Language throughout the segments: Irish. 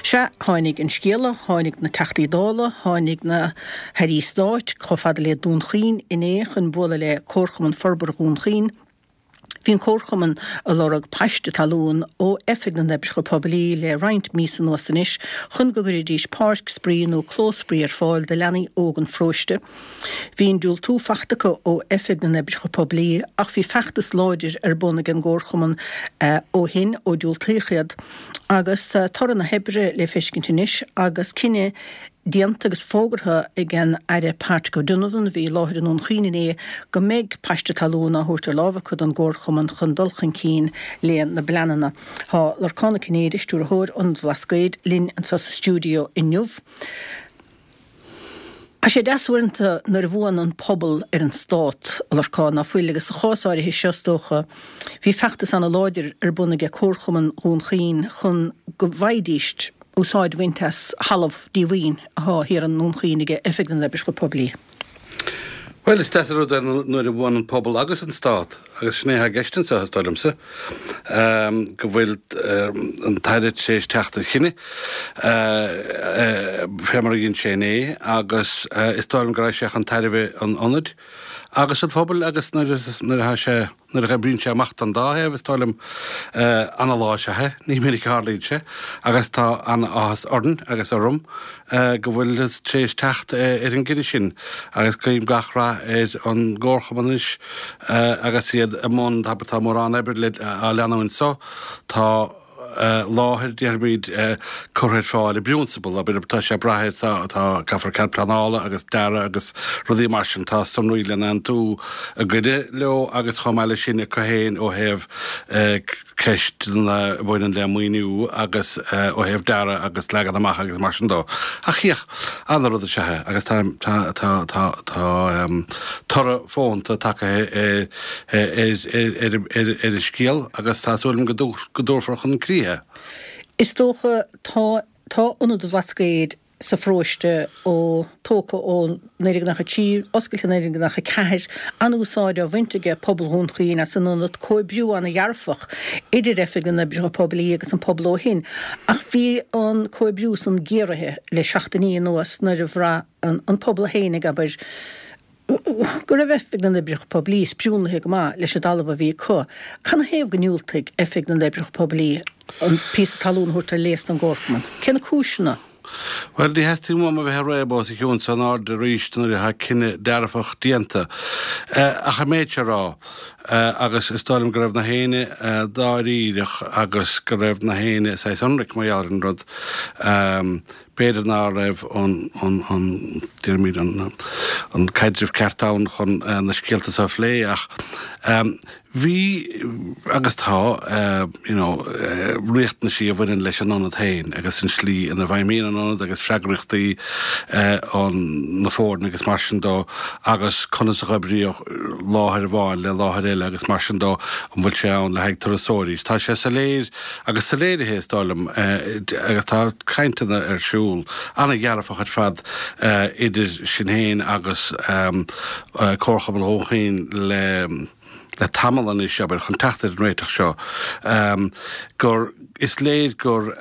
Sea, tháinig an scéala, tháinig na Teachtaí Dála, tháinig na hAirí Stáit chomh fada le Dún Chaoin inné chun bualadh le Comharchumann Forbartha Dhún Chaoin. Bhí an Comharchumann ag lorg paiste talún ó Oifig na nOibreacha Poiblí le roinnt míosa anuas anois chun go gcuirfidís páirc spraoi nó clós spraoi ar fáil do leanaí óg an pharóiste. Bhí an diúltú fachta acu ó Oifig na nOibreacha Poiblí ach bhí feachtas láidir ar bun ag an gComharchumann ó shin ó diúltaíodh iad agus toradh na hoibre le feiscint anois agus cinneadh déanta agus fógartha ag an Aire Patrick O'Donovan, a bhí i láthair i nDún Chaoin inné, go mbeidh paiste talún á thabhairt ar láimh acu don gComharchumann chun dul chun cinn le na bpleananna. Tá Lorcán Ó Cinnéide, Stiúrthóir Ionad Bhlascaoid, linn anseo sa stiúideo inniu. Tá sé deas uaireanta nuair a bhuann an pobal ar an stát, a Lorcáin, ná fuil, agus sa chás áirithe seo, is dócha, bhí feachtas ana-láidir ar bun aige Comharchumann Dhún Chaoin chun go bhfaighidís úsáid a bhaint as thalamh díomhaoin atá thiar i nDún Chaoin aige Oifig na nOibreacha Poiblí. Bhuel, is deas an rud é nuair a bhuann an pobal agus an stát, agus sin é atá i gceist anseo, is dóigh liomsa, go bhfuil an tAire tar éis teacht ar chinneadh, fé mar a dhein sé inné, agus is dóigh liom go rachaidh sé chun tairbhe an ionaid agus an phobail agus nuair atá sé. Nuair a oibríonn sé amach don dá thaobh, is dóigh liom, ana-lá is ea é, ní minic a tharlaíonn sé, agus tá ana-áthas orainn agus orm go bhfuiltear tar éis teacht ar an gcinneadh sin agus guím gach rath ar an gComharchumann anois agus iad i mbun, tá mórán oibre á leanúint so, tá. láthair, déarfaimid, curtha ar fáil i bprionsabal, abair, tá sé ag brath ar, tá, tá, caithfear cead pleanála agus dearadh agus rudaí mar sin, tá sonraí le n-aontú againne leo agus chomh maith leis sin acu féin ó thaobh ceisteanna a bhaineann le maoiniú agus ó thaobh dearadh agus leagan amach agus mar sin dó. Ach féach, ana-rud is ea é agus tá, tá, tá, tá, tá toradh fónta tagtha ar, ar an scéal agus tá súil agam go dtabharfar chun críche é. Is dócha tá tá Ionad an Bhlascaoid sa pharóiste ó tógtha ó 1993, oscailte 1994, an-úsáid á bhaint aige pobal Dhún Chaoin as an ionad, comhoibriú an-dhearfach idir Oifig na nOibreacha Poiblí agus an pobal ó shin. Ach bhí an comhoibriú san géaraithe le seachtainí anuas nuair a bhraith an pobal féin ag abair, go raibh Oifig na nOibreacha Poiblí spriúnlaithe go maith leis an dtalamh a bhí acu. Canathaobh go ndiúltaigh Oifig na nOibreacha Poiblí an píosa talún a thabhairt ar léas don gComharchumann? Cé na cúiseanna? Bhuel, ní theastaíonn uaim a bheith ag réabadh os a chionn so in airde arís nuair atá cinneadh dearfach déanta. Ach an méid seo a rá, agus is dóigh liom go raibh na héinne dáiríreach agus go raibh na héinne saghas ionraic mar gheall ar an rud, B'fhéidir ná raibh an, déarfaimid, an caidreamh ceart ann chun na scéalta seo a phlé ach bhí agus tá you know riachtanaisí a bhaineann leis an ionad féin agus an slí ina bhfeidhmíonn an ionad agus freagrachtaí an na foirne agus mar sin dó agus conas a dh'oibríodh láthair amháin le láthair eile agus mar sin dó an bhfuil sé ann le haghaidh turasóirí. Tá sé soiléir Agus soiléirithe, is dóigh liom, agus tá cainteanna ar siúl, an-dhearfach ar fad, idir sinn féin agus Comharchumann Dhún Chaoin le le tamall anois, abair, chun teacht ar an réiteach seo, gur, is léir gur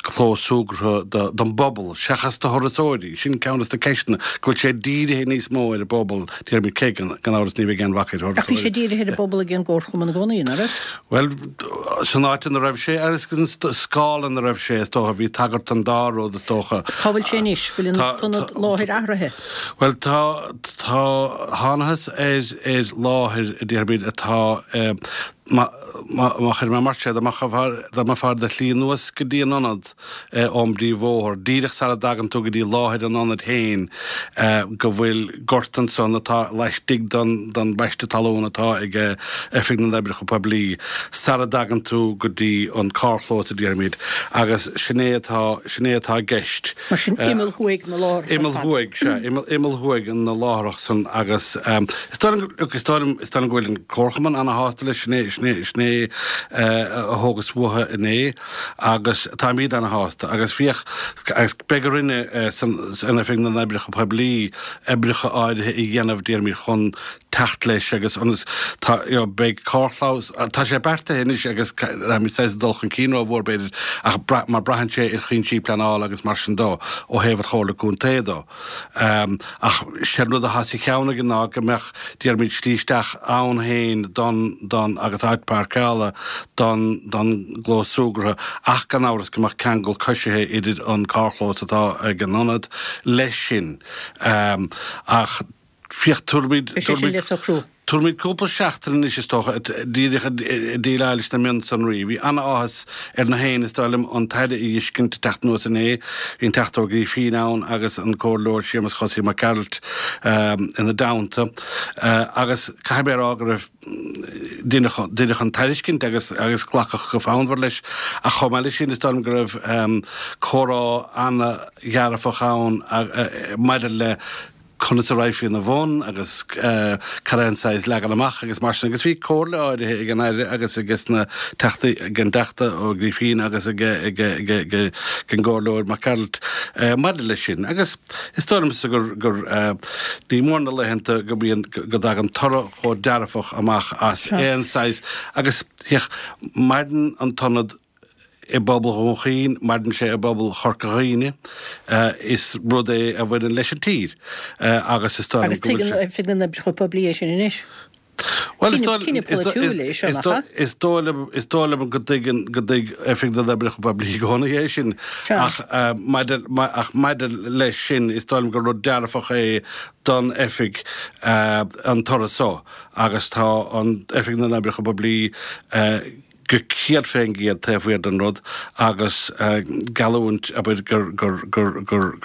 clós súgartha don bpobal seachas do thurasóirí, sin ceann de na ceisteanna, go bhfuil sé dírithe níos mó ar an bpobal, déarfaimid, cé gan amhras ní bheidh aon bhac ar thurasóirí. Ach bhí sé dírithe ar an bpobal ag an gComharchumann i gcónaí, ná raibh? Bhuel, san áit ina raibh sé, agus an scála ina raibh sé, is dócha, bhí tagairt don dá rud, is dócha. Is cá bhfuil sé anois? Bhfuil an t-ionad láthair athraithe? Bhuel, tá, tá, thánathas ar, ar láthair, a déarfaimid, atá, má, má, má chuir mé mar sin, dá mbeifeá ar do shlí anuas go dtí an ionad, ón bpríomhbhóthar, díreach sara dtagann tú go dtí láthair an ionaid féin, go bhfuil gort ansan atá laistigh den bpaiste talún atá ag Oifig na nOibreacha Poiblí, sara dtagann tú go dtí an carrchlós, a déarfaimid, agus sin é atá, sin é atá i gceist. Mar sin, imeall thuaidh na láithreach ar fad. Imeall thuaidh, sea, imeall, imeall thuaidh na láithreach san agus is dóigh liom, is dóigh liom, is dóigh liom go bhfuil an Comharchumann ana-shásta leis, sin é. agus sin é, sin é a thógas uathu inné agus táimid ana-shásta agus féach agus beidh orainne san Oifig na nOibreacha Poiblí oibreacha áirithe a dhéanamh déarfaimid chun teacht leis agus ionas tá you know beidh carrchlós tá sé beartaithe anois agus táimid saghas ag dul chun cinn rómhór b'fhéidir ach brath mar braitheann sé ar chúinsí pleanála agus mar sin dó ó thaobh an Chomhairle Contae dó. Ach sé an rud atá sa cheann againn ná go mbeadh déarfaimid slí isteach ann féin don don agus áit páirceála don don gclós súgartha ach gan amhras go mbeadh ceangal coisithe idir an carrchlós atá ag an ionad leis sin. Ach Féach, tabharfaimid, Beidh sé sin le socrú. tabharfaimid cúpla seachtain anois, is dócha, díreach ag déileáil leis na mionsonraí. Bhí an-áthas ar na héinne, is dóigh liom, an tAire a fheiscint ag teacht anuas inné. Bhí an Teachta Ó Grífín ann agus an Comhairleoir Séamus Chosaí Mac Gearailt ina dteannta. Agus caithfidh mé a rá go raibh, deineadh an tairiscint agus agus glacadh go fonnmhar leis. Ach chomh maith leis sin, is dóigh liom go raibh comhrá an-dhearfach ann maidir le conas a raghfaí ina bhun agus cad é an saghas leagan amach agus mar sin agus bhí comhairle áirithe ag an Aire agus ages na Teachtaí, ag an dTeachta Ó Grífín agus ag ag ag ag an gComhairleoir Mac Gearailt maidir leis sin agus is dóigh liomsa gur gur ní mór na laethanta go mbíonn go dtagann toradh chomh dearfach amach as aon saghas agus féach maireann an t-ionad i bpobal Dhún Chaoin, maireann sé i bpobal Chorca Dhuibhne. Is rud é a bhaineann leis an tír agus is dóigh liom go bhfuil sé. Agus tuigeann Oifig na nOibreacha Poiblí é sin anois. Bhuel, is dóigh Cinneadh polaitiúil é seo, nach ea? Is dóigh liom, is dóigh liom go dtuigeann, go dtuig Oifig na nOibreacha Poiblí i gcónaí é sin. Ach maidir, ach maidir leis sin, is dóigh liom gur rud dearfach é don Oifig an toradh so agus tá an Oifig na nOibreacha Poiblí go 100% taobh thiar den rud agus geallúint, abair, gur, gur, gur, gur,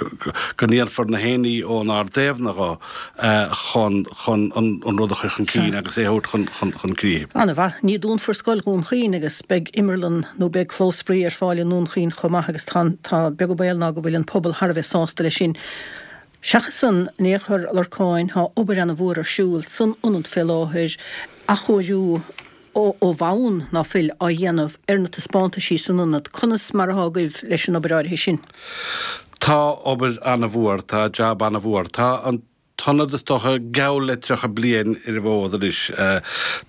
go ndéanfar na haon ní ónár dtaobhna dho chun, chun an, an rud a chur chun cinn agus é a thabhairt chun, chun, chun críche. Ana-mhaith. Ní dúnfar Scoil Dhún Chaoin agus beidh imearlann nó beidh clós spraoi ar fáil i nDún Chaoin chomh maith agus tá, tá beag an baol ná go bhfuil an pobal thar a bheith sásta leis sin. Seachas san, in aon chor, a Lorcáin, tá obair ana-mhór ar siúl san ionad fé láthair, athchóiriú, ó bhonn ná fuil á dhéanamh ar na taispeántaisí san ionad. Conas mar atá agaibh leis an obair áirithe sin? Tá obair ana-mhór, tá jab ana-mhór. Tá an t-ionad is dócha geall le 30 bliain ar an bhfód anois.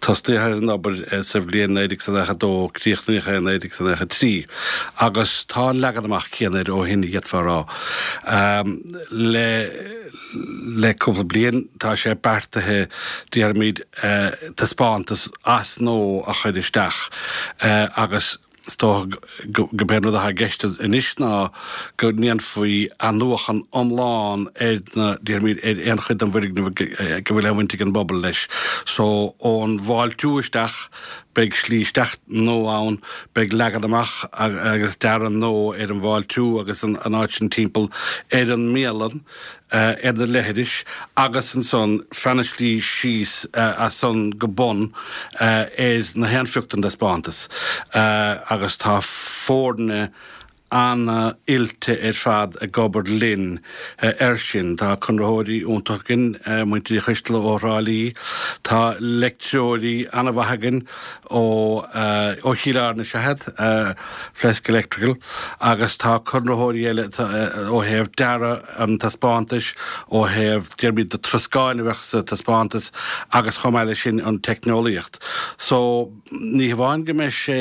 Tosnaíodh ar an obair sa bhliain 1992, críochnaíodh é i 1993 agus tá an leagan amach céanna air ó shin, d'fhéadfá a rá. Le le cúpla bliain tá sé beartaithe, déarfaimid, taispeántas as nua a chur isteach agus is dócha gurb é an rud atá i gceist anois ná go ndéanfaí athnuachan iomlán ar na, déarfaimid, ar aon chuid den bhfoirgneamh go bhfuil aon bhaint ag an bpobal leis. So ón bhfáiltiú isteach, beidh slí isteach nua ann, beidh leagan amach agus dearadh nua ar an bhfáiltiú agus an áit sin timpeall ar an mbialann. ar na leithris agus ansan feadh na slí síos as san go bun ar na haon phioc den dtaispeántas agus tá foirne ana-oilte ar fad ag obair linn air sin. Tá conraitheoirí iontacha againn, muintir Uí Choisteala ó Thrá Lí, tá leictreoirí ana-mhaith againn ó ó Chill Airne is ea iad, Flesk Electrical, agus tá conraitheoirí eile ó thaobh dearadh an taispeántais, ó thaobh, déarfaimid, na troscáin a bheadh sa taispeántas agus chomh maith leis sin an teicneolaíocht. So, ní hamháin go mbeidh sé,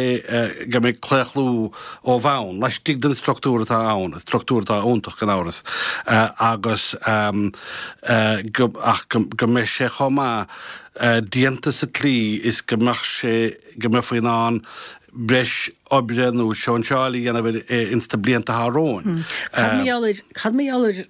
go mbeidh claochlú ó bhonn, laistigh den struchtúr atá ann, struchtúr atá iontach gan amhras, agus go, ach go mbeidh sé chomh maith déanta sa tslí is go mbeadh sé, go mbeifí in ann breis oibre nó sóinseáil a dhéanamh air ins na blianta atá romhainn. Cad mar gheall ar, cad mar gheall ar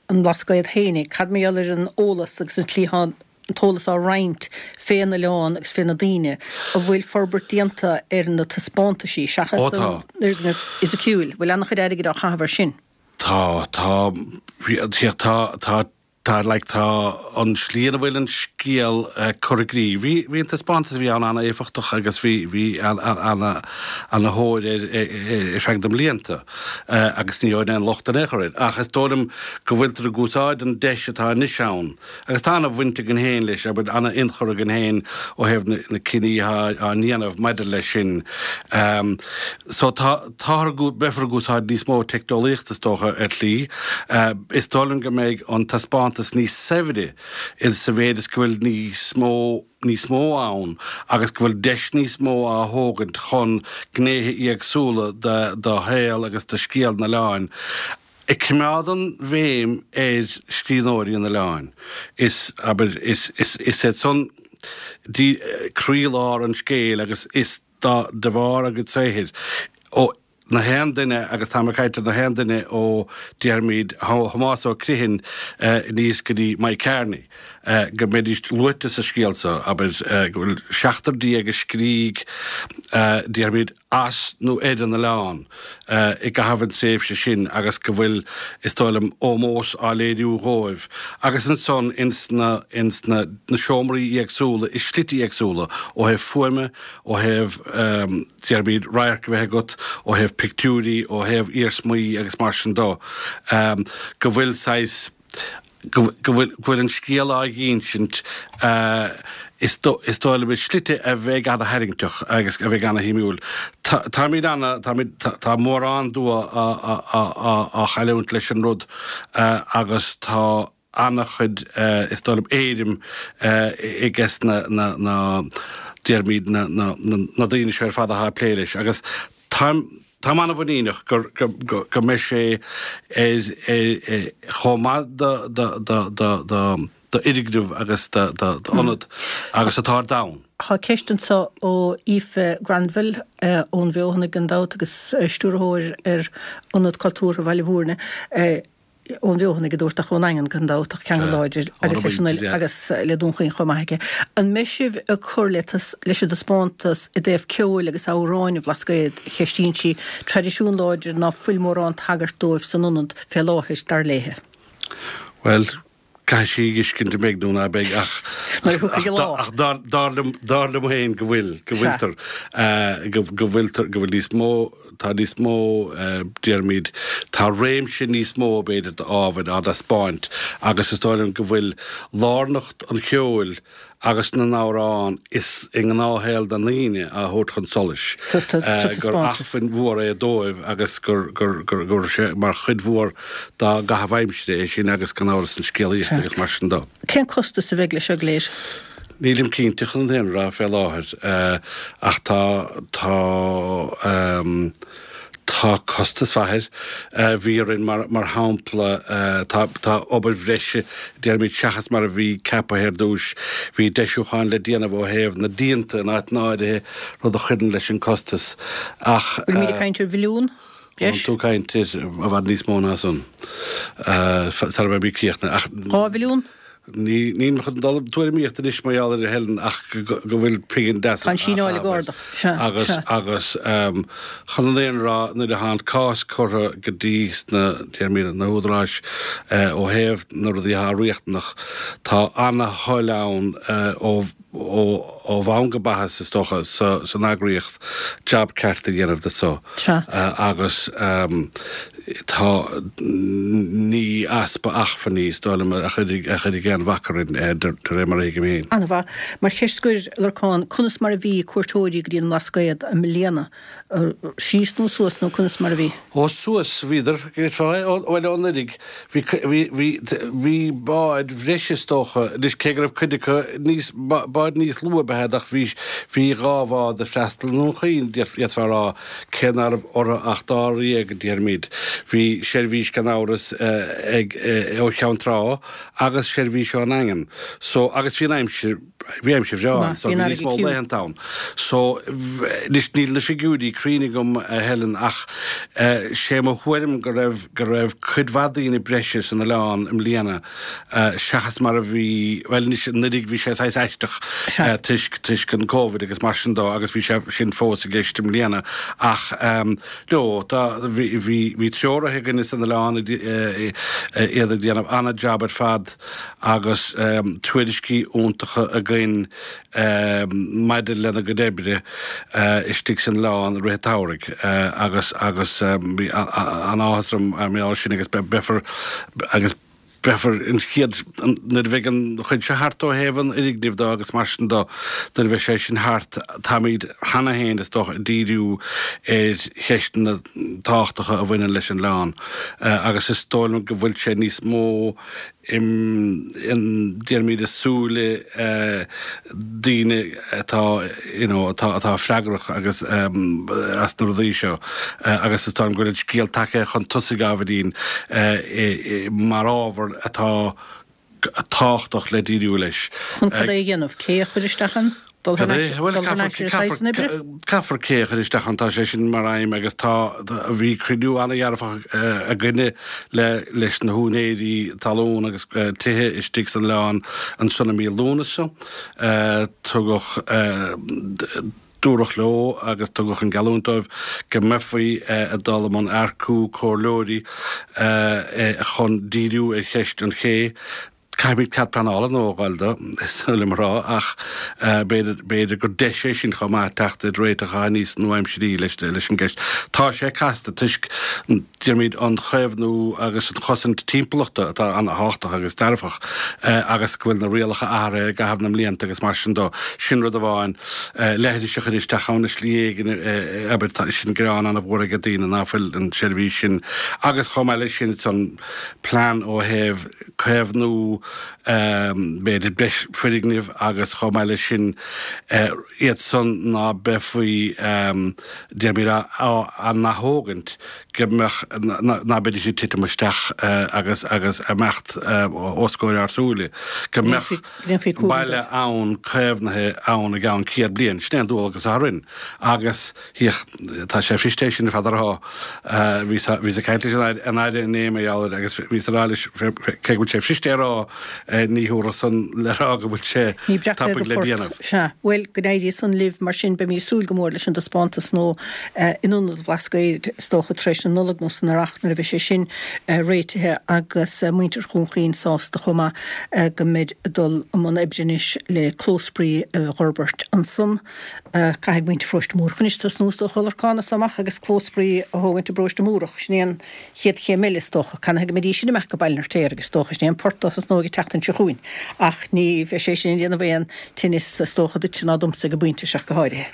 an mBlascaod fhéinig, cad mar gheall ar an eolas agus an tslí atá an t-eolas á roinnt fén oileán agus fé na daoine, an bhfuil forbairt déanta ar na taispeántaisí seachas Ó tá. an fhoirgneamh fhisiciúil, bhfuil an-chuid airgid á chaitheamh ar sin? Tá, tá, tá, tá. Tá, like, tá an slí ina bhfuil an scéal curtha i gcrích. Bhí, bhí an taispeántas a bhí ann an-éifeachtach agus bhí, bhí ana-thóir air ar feadh na mblianta agus ní gheobhainn aon locht in aon chor air. Ach is dóigh liom go bhfuiltear ag úsáid an deis atá anois ann agus tá ana-bhaint againn féin leis, abair, ana-ionchur againn féin ó thaobh na, na cinní atá á ndéanamh maidir leis sin. So tá, Táthar ag, beifear ag úsáid níos mó teicneolaíochta is dócha ar shlí. Is dóigh liom go mbeidh an taispeántas níos saibhre sa mhéid is go bhfuil níos mó, níos mó ann agus go bhfuil deis níos mó á thógaint chun gnéithe éagsúla de, de shaol agus de scéal an oileáin ag coimeád an bhéim ar scríbhneoirí an oileáin. Is, abair, is, is, is iad san croílár an scéil agus is, dá, de bharr a gcuid saothair, ó na haon duine, agus táim ag caint ar na haon duine ó, déarfaimid, Thomás Ó Criomhthain aníos go dtí Mike Kearney, go mbeidís luaite sa scéal so, abair, go bhfuil 17 a scrígh, déarfaimid, as nó ar an oileán i gcaitheamh an tréimhse sin agus go bhfuil, is dóigh liom, ómós á léiriú dhóibh. Agus ansan ins na, ins na, na seomraí éagsúla, i slite éagsúla, ó thaobh fuaime, ó thaobh, déarfaimid, radharc a bheith agat, ó thaobh pictiúirí, ó thaobh iarsmaí agus mar sin do, go bhfuil saghas, go bhfuil, go bhfuil an scéal á dh'insint, is dóigh liom, i slite a bheidh ana-tharraingteach agus a bheidh ana-shuimiúil. Táimid ana, táimid, tá mórán dua á chailliúint leis an rud agus tá, an-chuid, is dóigh liom, éirim aiges na, na, déarfaimid, na, na, na daoine seo ar fad atá ag plé leis agus táim, táim an-mhuiníneach gur, go, go, go mbeidh sé ar, ar, chomh maith do, do, do, do, do, d'fhoirgneamh agus do, do, d'ionad agus atá ar domhan. Tá ceist anseo ó Aoife Granville ón Bhfeothanaigh gan dabht agus stiúrthóir ar Ionad Cultúrtha Bhaile Bhúirne. Ón bhFeothanaigh a dúrt ach ón nDaingean gan dabht ach ceangal láidir agus leis an agus le Dún Chaoin chomh maith aici. An mbeidh sibh ag cur le leis an dtaispeántas i dtaobh ceoil agus amhráin an Bhlascaoid, a cheistíonn sí, traidisiún láidir ná fuil mórán tagairt dóibh san ionad fé láthair, dar léithe. Bhuel, Caithfidh sí a fheiscint an mbeidh nó ná beidh ach Nuair a thiocfaidh an lá. ach dar dar liom dar liom féin go bhfuil, go bhfuiltear, go go bhfuiltear, go bhfuil níos mó, tá níos mó, déarfaimid, tá réimse níos mó b'fhéidir d'ábhair á dtaispeáint agus is dóigh liom go bhfuil lárnacht an cheoil agus na n-amhrán is i ngnáthshaol na ndaoine á thabhairt chun solais, gur acmhainn mhór é dóibh agus gur raibh sé mar chuid mhór dá gcaitheamh aimsire é sin agus gan amhras an scéalaíocht agus mar sin de. Cén costas a bheidh leis seo go léir? Nílim cinnte chun an fhírinne a rá fé láthair ach tá, tá, Tá costas mhaith air. Bhí orainn, mar shampla, tá tá obair bhreise, déarfaimid, seachas mar a bhí ceaptha ar dtúis. Bhí deisiúcháin le déanamh ó thaobh na díonta in áiteanna áirithe, rud a chuireann leis an costas. Ach. Bhfuilimid ag caint ar mhilliún, breis? Tá tú ag caint ar i bhfad níos mó ná san, sara mbeimid críochnaithe. Ach. 2 mhilliún? Ní, nílim chun dul i dtuairimíocht anois mar gheall air a Helen ach go bhfuil pingin deas á Tá an síneáil ag ardach. Sea, Agus, sea. agus chun an fhírinne a rá, nuair atá an cás curtha go dtí sna, déarfaimid, na húdaráis ó thaobh na rudaí atá riachtanach, tá ana-thoil ann ó, ó bhonn go baithis, is dócha, san eagraíocht jab ceart a dhéanamh de so. Sea. Agus tá, ní easpa achmhainní, is dóigh liom, a chuirfidh aon bhac orainn, de réir mar a thuigim féin. An-mhaith. Mar cheist scoir, a Lorcáin, conas mar a bhí cuairteoirí go dtí an mBlascaod i mbliana? Síos nó suas nó conas mar a bhí? Ó, suas bhíodar, bhuel, ó anuraidh. Bhí, bhí, bhí, bhí báid bhreise is dócha, anois cé go raibh cuid acu níos, báid níos lú ab ea iad ach bhí, bhí dhá bhád ag freastal i nDún Chaoin, d'fhéadfá a rá, cé ná raibh orthu ach dáréag, déarfaimid. Bhí seirbhís gan amhras ag, ó Cheann Trá agus seirbhís ón nDaingean. So, agus bhí an aimsir. Bhí aimsir bhreá ann, so bhí níos mó laethanta ann. So, anois níl na figiúirí cruinn agam, a Helen, ach sé mo thuairim go raibh, go raibh cuid mhaith daoine breise san oileán i mbliana seachas mar a bhí, bhuel anois anuraidh bhí sé saghas aisteach toisc, toisc an Covid agus mar sin dó agus bhí sé sin fós i gceist i mbliana ach no, tá, bhí, bhí, bhí treoraithe againne san oileán iad ag déanamh an-jab ar fad. agus tuairiscí iontacha againn maidir lena gcuid oibre istigh san oileán i rith an tsamhraidh agus agus bhí an-áthas orm mar gheall air sin agus beifear agus beifear an chéad nuair a bheidh an chuid seo thart ó thaobh an fhoirgnimh dó agus mar sin dó nuair a bheidh sé sin thart táimid cheana féin is dócha ag díriú ar cheisteanna tábhachtacha a bhaineann leis an oileán agus is dóigh liom go bhfuil sé níos mó i déarfaimid i súile daoine atá you know atá atá freagrach agus as na rudaí seo agus is dóigh liom go bhfuil an scéal tagtha chun tosaigh ábhairín mar ábhar atá tábhachtach le díriú leis. Chun cad é a dhéanamh? Cé a chur isteach ann? Dul thar n-ais ar saghas na oibre? Caithfear cé a chur isteach ann, tá sé sin mar aidhm agus tá, bhí cruinniú an-dhearfach againne le, leis na húinéirí talún agus tithe istigh san oileán ansan i mí Lúnasa. Tugadh, dúradh leo agus tugadh an geallúint dóibh go mbeifí ag dul i mbun earcú comhairleoirí chun díriú ar cheist an ché. Caithfimid cead pleanála nua a fháil dó, is dóigh liom a rá, ach b'fhéidir, b'fhéidir gur deis é sin chomh maith teacht ar réiteach atá níos nua-aimsirí leis an gceist. Tá sé casta toisc, déarfaimid, an chaomhnú agus an chosaint timpeallachta atá an-thábhachtach agus dearfach agus go bhfuil na rialacha athraithe i gcaitheamh na mblianta agus mar sin dó. Sin rud amháin. Leithris a chur isteach ann i slí éigin, abair, tá sin gearán an-mhór ag daoine ná fuil an tseirbhís sin agus chomh maith leis sin, an plean ó thaobh caomhnú b'fhéidir breis foirgnimh agus chomh maith leis sin iad san ná beifí déarfaimid á n-athógaint go mbeadh ná beidís ag titim isteach agus agus imeacht os comhair ár súile go mbeadh baile ann caomhnaithe ann i gceann 100 bliain. Sin é an dualgas atá orainn agus Féach, tá sé fuirist é sin ar fad a rá. Bhíos ag caint leis an Aire inné mar gheall air agus bhíos ag rá leis, cé go bhfuil sé fuirist é a rá, ní thabharfadh san le rá go bhfuil sé Ní breac le do port. Sea. Bhuel, go n-éirí san libh mar sin. Beimid ag súil go mór leis an dtaispeántas nua in Ionad an Bhlascaoid, is dócha tar éis na Nollag nó san Earrach nuair a bheidh sé sin réitithe agus muintir Dhún Chaoin sásta chomh maith go mbeid ag dul i mbun oibre anois le clós spraoi a dh'fhorbairt ansan. Caithfidh muintir Pharóiste Múrach anois tosnú is dócha Lorcán as seo amach agus clós spraoi a thógaint i bParóiste Múrach. Sin é an chéad chéim eile is dócha. Canathaobh go mbeidís sin ag imeacht go Baile an Fheirtéaraigh is dócha. Sin é an port a thosnóidh an tseachtain seo chugainn. Ach ní bheidh sé sin ag déanamh aon tinneas is dócha duitse ná domsa ag an bpointe seo ach go háirithe.